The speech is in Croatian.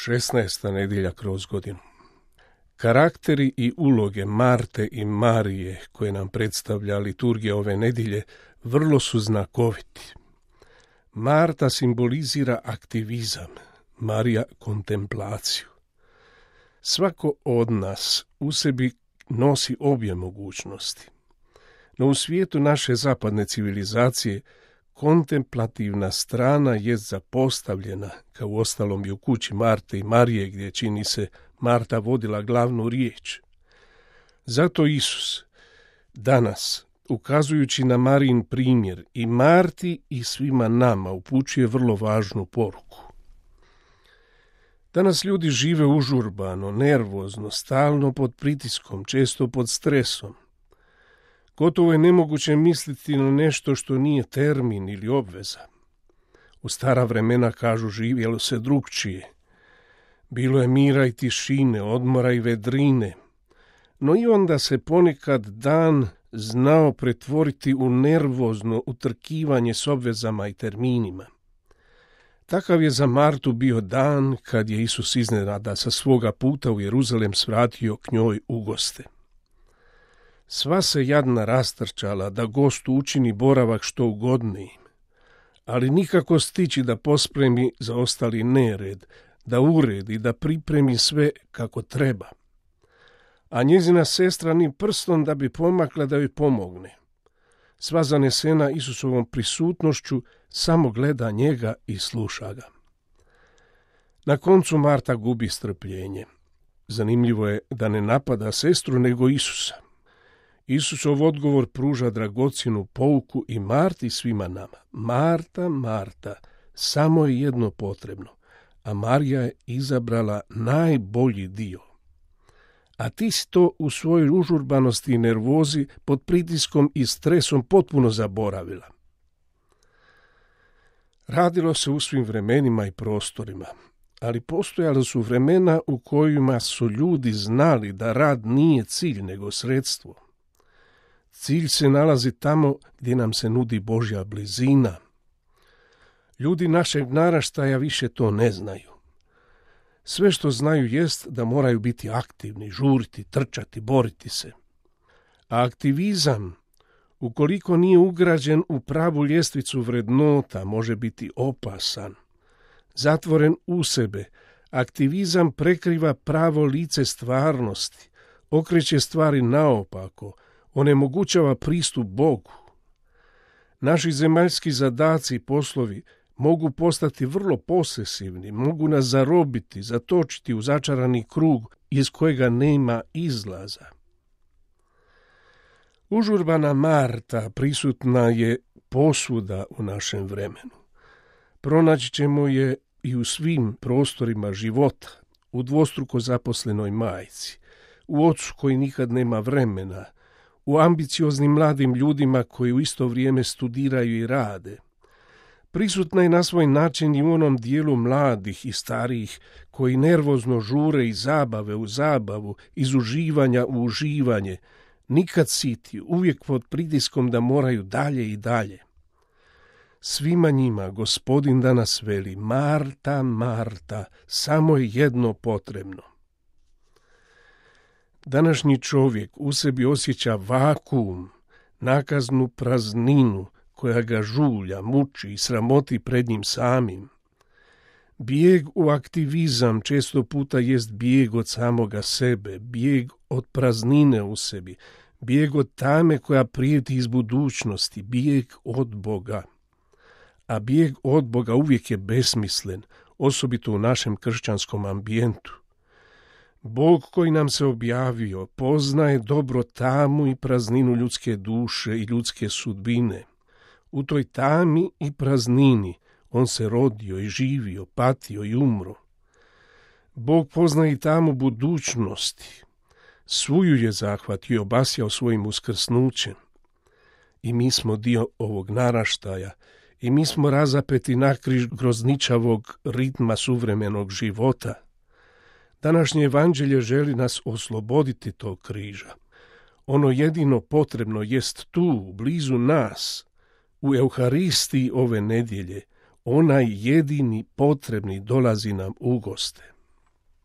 16. nedjelja kroz godinu. Karakteri i uloge Marte i Marije koje nam predstavlja liturgija ove nedjelje vrlo su znakoviti. Marta simbolizira aktivizam, Marija kontemplaciju. Svako od nas u sebi nosi obje mogućnosti. No u svijetu naše zapadne civilizacije kontemplativna strana jest zapostavljena, kao uostalom i u kući Marte i Marije, gdje čini se Marta vodila glavnu riječ. Zato Isus danas, ukazujući na Marijin primjer, i Marti i svima nama upućuje vrlo važnu poruku. Danas ljudi žive užurbano, nervozno, stalno pod pritiskom, često pod stresom. Gotovo je nemoguće misliti na nešto što nije termin ili obveza. U stara vremena, kažu, živjelo se drukčije. Bilo je mira i tišine, odmora i vedrine, no i onda se ponekad dan znao pretvoriti u nervozno utrkivanje s obvezama i terminima. Takav je za Martu bio dan kad je Isus iznenada sa svoga puta u Jeruzalem svratio k njoj u goste. Sva se jadna rastrčala da gostu učini boravak što ugodnijim, ali nikako stići da pospremi za ostali nered, da uredi, da pripremi sve kako treba. A njezina sestra ni prstom da bi pomakla da joj pomogne. Sva zanesena Isusovom prisutnošću samo gleda njega i sluša ga. Na koncu Marta gubi strpljenje. Zanimljivo je da ne napada sestru nego Isusa. Isusov odgovor pruža dragocjenu pouku i Marti i svima nama. Marta, Marta, samo je jedno potrebno, a Marija je izabrala najbolji dio. A ti si to u svojoj užurbanosti i nervozi pod pritiskom i stresom potpuno zaboravila. Radilo se u svim vremenima i prostorima, ali postojala su vremena u kojima su ljudi znali da rad nije cilj nego sredstvo. Cilj se nalazi tamo gdje nam se nudi Božja blizina. Ljudi našeg naraštaja više to ne znaju. Sve što znaju jest da moraju biti aktivni, žuriti, trčati, boriti se. A aktivizam, ukoliko nije ugrađen u pravu ljestvicu vrednota, može biti opasan. Zatvoren u sebe, aktivizam prekriva pravo lice stvarnosti, okreće stvari naopako, onemogućava pristup Bogu. Naši zemaljski zadaci i poslovi mogu postati vrlo posesivni, mogu nas zarobiti, zatočiti u začarani krug iz kojega nema izlaza. Užurbana Marta prisutna je posvuda u našem vremenu. Pronaći ćemo je i u svim prostorima života, u dvostruko zaposlenoj majci, u ocu koji nikad nema vremena, u ambicioznim mladim ljudima koji u isto vrijeme studiraju i rade. Prisutna je na svoj način i u onom dijelu mladih i starijih koji nervozno žure iz zabave u zabavu, iz uživanja u uživanje, nikad siti, uvijek pod pritiskom da moraju dalje i dalje. Svima njima Gospodin danas veli: Marta, Marta, samo je jedno potrebno. Današnji čovjek u sebi osjeća vakuum, nakaznu prazninu koja ga žulja, muči i sramoti pred njim samim. Bijeg u aktivizam često puta jest bijeg od samoga sebe, bijeg od praznine u sebi, bijeg od tame koja prijeti iz budućnosti, bijeg od Boga. A bijeg od Boga uvijek je besmislen, osobito u našem kršćanskom ambijentu. Bog koji nam se objavio poznaje dobro tamu i prazninu ljudske duše i ljudske sudbine. U toj tami i praznini on se rodio i živio, patio i umro. Bog poznaje i tamu budućnosti. Svuju je zahvatio i obasjao svojim uskrsnućem. I mi smo dio ovog naraštaja, i mi smo razapeti nakriž grozničavog ritma suvremenog života. Današnje evanđelje želi nas osloboditi tog križa. Ono jedino potrebno jest tu, blizu nas, u Euharistiji ove nedjelje. Onaj jedini potrebni dolazi nam u goste.